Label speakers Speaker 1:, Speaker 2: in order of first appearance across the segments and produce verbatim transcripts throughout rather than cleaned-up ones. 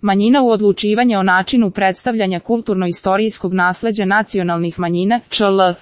Speaker 1: Manjina u odlučivanje o načinu predstavljanja kulturno-istorijskog nasleđa nacionalnih manjina, Č L.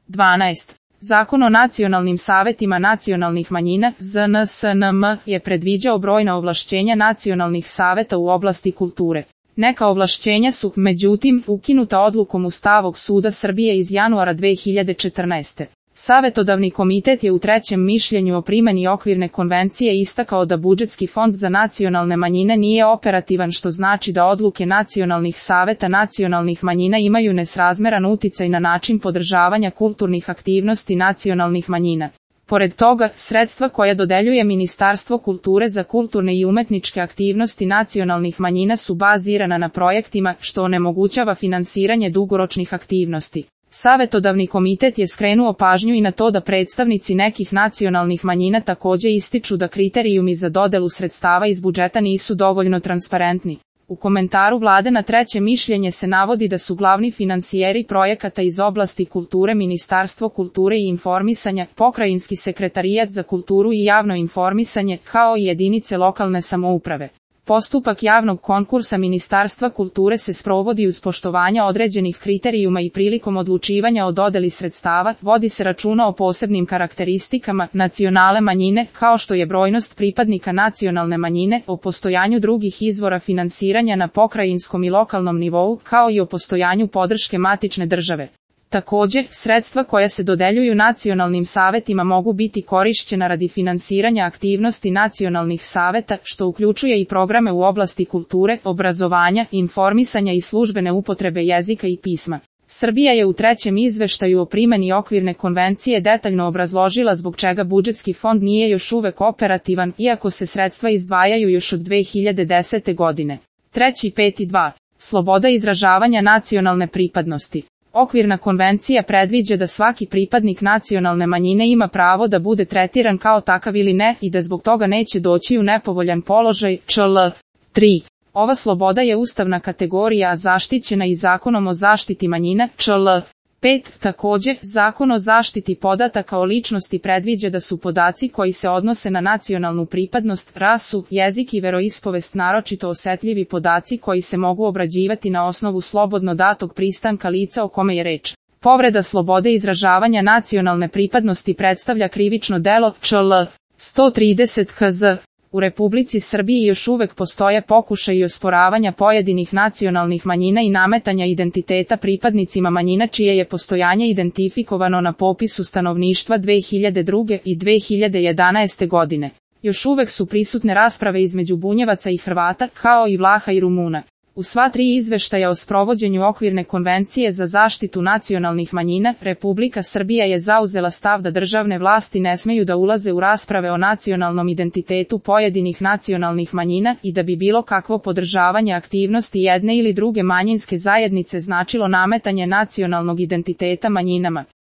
Speaker 1: dvanaest. Zakon o nacionalnim savetima nacionalnih manjina, Z N S N M, je predviđao brojna ovlašćenja nacionalnih saveta u oblasti kulture. Neka ovlašćenja su, međutim, ukinuta odlukom Ustavnog suda Srbije iz januara dve hiljade četrnaeste. Savetodavni komitet je u trećem mišljenju o primjeni okvirne konvencije istakao da budžetski fond za nacionalne manjine nije operativan, što znači da odluke nacionalnih saveta nacionalnih manjina imaju nesrazmeran uticaj na način podržavanja kulturnih aktivnosti nacionalnih manjina. Pored toga, sredstva koja dodeljuje Ministarstvo kulture za kulturne i umetničke aktivnosti nacionalnih manjina su bazirana na projektima, što onemogućava finansiranje dugoročnih aktivnosti. Savetodavni komitet je skrenuo pažnju i na to da predstavnici nekih nacionalnih manjina također ističu da kriterijumi za dodelu sredstava iz budžeta nisu dovoljno transparentni. U komentaru Vlade na treće mišljenje se navodi da su glavni finansijeri projekata iz oblasti kulture Ministarstvo kulture i informisanja, Pokrajinski sekretarijat za kulturu i javno informisanje, kao i jedinice lokalne samouprave. Postupak javnog konkursa Ministarstva kulture se sprovodi uz poštovanja određenih kriterijuma i prilikom odlučivanja o dodeli sredstava vodi se računa o posebnim karakteristikama nacionalne manjine, kao što je brojnost pripadnika nacionalne manjine, o postojanju drugih izvora finansiranja na pokrajinskom i lokalnom nivou, kao i o postojanju podrške matične države. Također, sredstva koja se dodeljuju nacionalnim savetima mogu biti korišćena radi finansiranja aktivnosti nacionalnih saveta, što uključuje i programe u oblasti kulture, obrazovanja, informisanja i službene upotrebe jezika i pisma. Srbija je u trećem izveštaju o primjeni okvirne konvencije detaljno obrazložila zbog čega budžetski fond nije još uvek operativan, iako se sredstva izdvajaju još od dve hiljade desete godine. Treći peti dva. Sloboda izražavanja nacionalne pripadnosti. Okvirna konvencija predviđa da svaki pripadnik nacionalne manjine ima pravo da bude tretiran kao takav ili ne i da zbog toga neće doći u nepovoljan položaj, Č L. tri. Ova sloboda je ustavna kategorija zaštićena i Zakonom o zaštiti manjina, Č L. pet. Također, Zakon o zaštiti podataka o ličnosti predviđa da su podaci koji se odnose na nacionalnu pripadnost, rasu, jezik i veroispovest naročito osetljivi podaci koji se mogu obrađivati na osnovu slobodno datog pristanka lica o kome je reč. Povreda slobode izražavanja nacionalne pripadnosti predstavlja krivično delo, Č L. sto trideset K Z. U Republici Srbiji još uvek postoje pokušaji osporavanja pojedinih nacionalnih manjina i nametanja identiteta pripadnicima manjina čije je postojanje identifikovano na popisu stanovništva dve hiljade druge. i dve hiljade jedanaeste. godine. Još uvek su prisutne rasprave između Bunjevaca i Hrvata, kao i Vlaha i Rumuna. U sva tri izveštaja o sprovođenju okvirne konvencije za zaštitu nacionalnih manjina, Republika Srbija je zauzela stav da državne vlasti ne smeju da ulaze u rasprave o nacionalnom identitetu pojedinih nacionalnih manjina i da bi bilo kakvo podržavanje aktivnosti jedne ili druge manjinske zajednice značilo nametanje nacionalnog identiteta manjinama.